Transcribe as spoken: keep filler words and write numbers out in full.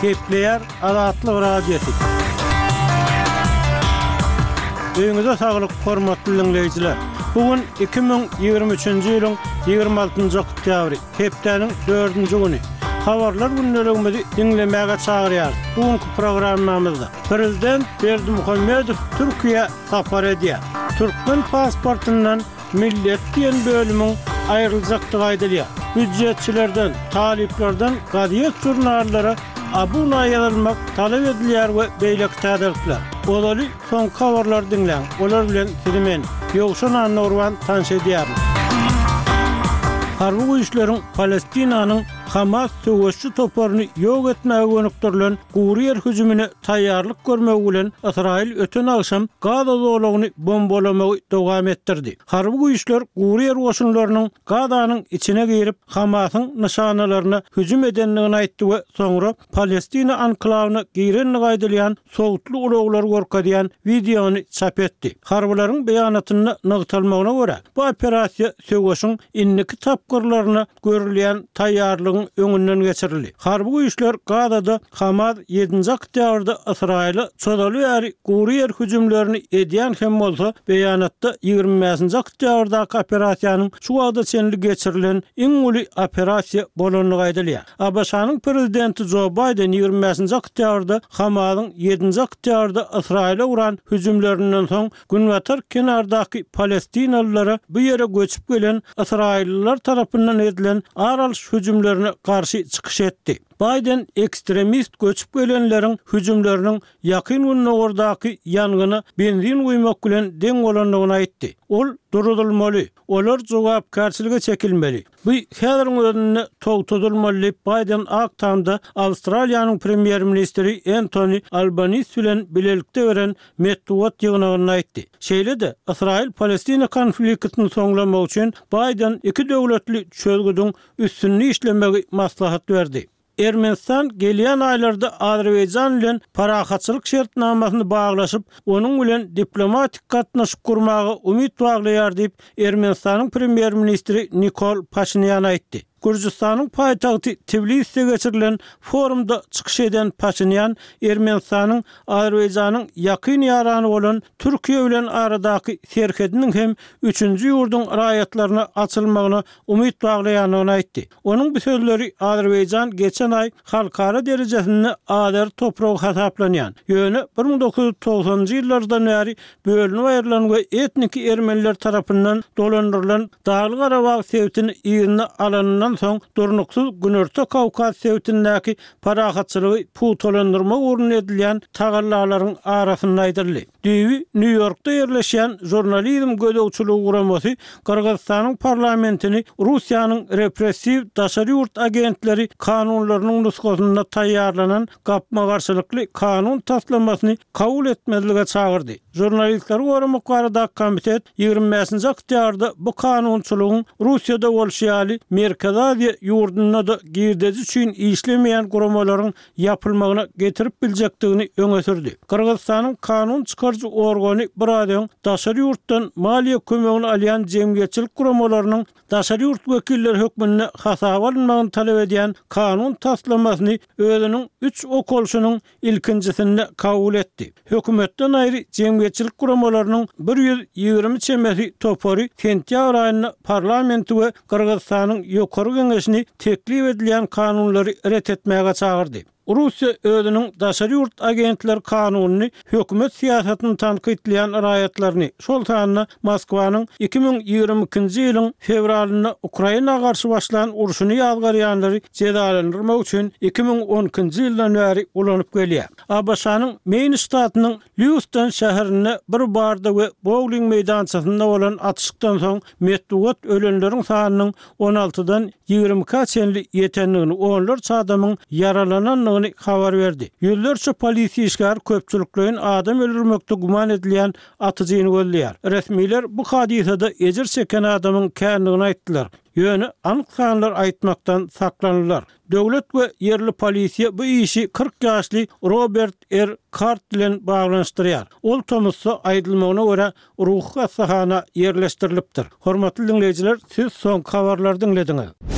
Gepleýär Azatlyk Radiosy. Öýüňize saglyk, hormatly diňleýjiler! Bu gün iki müň ýigrimi üçünji ýylyň ýigrimi altynjy oktýabry, hepdäniň dördünji güni. Habarlar gündeligimizi diňlemäge çagyrýarys. Bu günki programmamyzda Prezident Berdimuhamedow Türkiýä sapar edýär. Türkmen pasportyndan Millet diýen bölümiň aýryljakdygy aýdylýar. Býujetçilerden, talyplardan gazet-žurnallara abuna ýazylmak talap edilýär we beýleki täzelikler. Ozaly soňky habarlary diňläň, olar bilen sizi men, Ýowşan Annagurban tanyş edýärin. Harby güýçleriň Palestinanyň Hamas söweşçi toparyny ýok etmäge gönükdirilen gury ýer hüjümine taýýarlyk görmegi bilen Ysraýyl öten agşam Gaza zolagyny bombalamagy dowam etdirdi. Harby güýçler gury ýer goşunlarynyň Gazanyň içine girip, Hamasyň nyşanalaryna hüjüm edendigini aýtdy we soňra Palestina anklawyna girendigi aýdylýan sowutly ulaglary görkezýän wideony çap etdi. Harbylaryň beýanatynda nygtalmagyna görä, bu operasiýa söweşiň indiki tapgyrlaryna görülýän taýýarlygyň öňünden geçirildi. Harby güýçler Gazada Hamas ýedinji oktýabrda Ysraýyla çozaly bäri gury ýer hüjümlerini edýän hem bolsa, beýanatda ýigrimi bäşinji oktýabrdaky operasiýanyň şu wagta çenli geçirilen iň uly operasiýa bolandygy aýdylýar. ABŞ-nyň prezidenti Jo Baýden ýigrimi bäşinji oktýabrda Hamasyň ýedinji oktýabrda Ysraýyla guran hüjümlerinden soň Günbatar kenardaky palestinalylara bu ýere göçüp gelen ysraýyllylar tarapyndan edilen ar alyş hüjümlerine garşy çykyş etdi. Baýden ekstremist göçüp gelenleriň hüjümleriniň Ýakyn Gündogardaky ýangyna benzin guýmak bilen deň bolandygyny aýtdy. Ol duruzylmaly, olar jogapkärçilige çekilmeli. Bu häziriň özünde togtadylmaly diýip, Baýden Ak Tamda Awstraliýanyň premýer-ministri Entoni Albanis bilen bilelikde beren metbugat ýygnagynda aýtdy. Şeýle-de, Ysraýyl-Palestina konfliktini soňlamak üçin Baýden iki döwletli çözgüdiň üstünde işlemegi maslahat berdi. Ermenistan gelýän aýlarda Azerbaýjan bilen parahatçylyk şertnamasyny baglaşyp, onuň bilen diplomatik gatnaşyk gurmaga umyt baglaýar diýip, Ermenistanyň premýer-ministri Nikol Paşinýan aýtdy. Gürjüstanyň paýtagty Tbiliside geçirilen forumda çykyş eden Paşinýan Ermenistanyň Azerbaýjanyň ýakyn ýarany bolan Türkiýe bilen aradaky serhediniň hem üçünji ýurduň raýatlaryna açylmagyna umyt baglaýandygyny aýtdy. Onuň bu sözleri Azerbaýjan geçen aý halkara derejesinde azeri topragy hasaplanýan, ýöne bir müň dokuz ýüz togsanynjy ýyllardan bäri bölünip aýrylan we etniki ermeniler tarapyndan dolandyrylan Dagly-Garabag sebitini yzyna alanyndan soň durnuksyz Günorta Kawkaz sebitindäki parahatçylygy pugtalandyrmak ugrunda edilýän tagallalaryň arasynda aýdyldy. Düýbi Nýu-Ýorkda ýerleşýän Žurnalizm gözegçiligi guramasy Gyrgyzystanyň parlamentini Russiýanyň repressiw daşary ýurt agentleri kanunlarynyň nusgasynda taýýarlanan gapma-garşylykly kanun taslamasyny kabul etmezlige çagyrdy. Žurnalistleri goramak baradaky komitet ýigrimi bäşinji oktýabrda bu kanunçylygyň Russiýada bolşy ýaly Merkezi Aziýa ýurdunda-da girdeji üçin işlemeýän guramalaryň ýapylmagyna getirip biljekdigini öňe sürdi. Gyrgyzystanyň kanun çykaryjy organy biraz öň daşary ýurtdan maliýe kömegini alýan jemgyýetçilik guramalarynyň daşary ýurt wekilleri hökmünde hasaba alynmagyny talap edýän kanun taslamasyny özüniň üç okalyşynyň ilkinjisinde kabul etdi. Hökümetden aýry jemgyýetçilik guramalarynyň bir ýüz ýigrimi çemesi topary sentýabr aýynda parlamenti we Gyrgyzystanyň Ýokary Geňeşini teklip edilýän kanunlary ret etmäge çagyrdy. Russiýa özüniň daşary ýurt agentleri kanunyny hökümet syýasatyny tankytlaýan raýatlaryny, şol sanda Moskwanyň iki müň ýigrimi ikinji ýylyň fewralynda Ukraina garşy başlan urşuny ýazgarýanlary jezalandyrmak üçin iki müň on ikinji ýyldan bäri ulanyp gelýär. ABŞ-nyň Meýn ştatynyň Lýuiston şäherinde bir barda we bowling meýdançasynda bolan atyşykdan soň metbugat ölenleriň sanynyň on altydan ýigrimi ikä çenli ýetendigini, onlarça adamyň ýaralanandygyny habar berdi. Ýüzlerçe polisiýa işgäri köpçülikleýin adam öldürmekde güman edilýän atyjyny gözleýär. Resmiler bu hadysada ejir çeken adamyň kändigini aýtdylar, ýöne anyk sanlar aýtmakdan saklandylar. Döwlet we ýerli polisiýa bu işi kyrk ýaşly Robert R. Kard bilen baglanyşdyrýar. Ol tomusda, aýdylmagyna görä, ruhy hassahana ýerleşdirilipdir. Hormatly diňleýjiler, siz soňky habarlary diňlediňiz.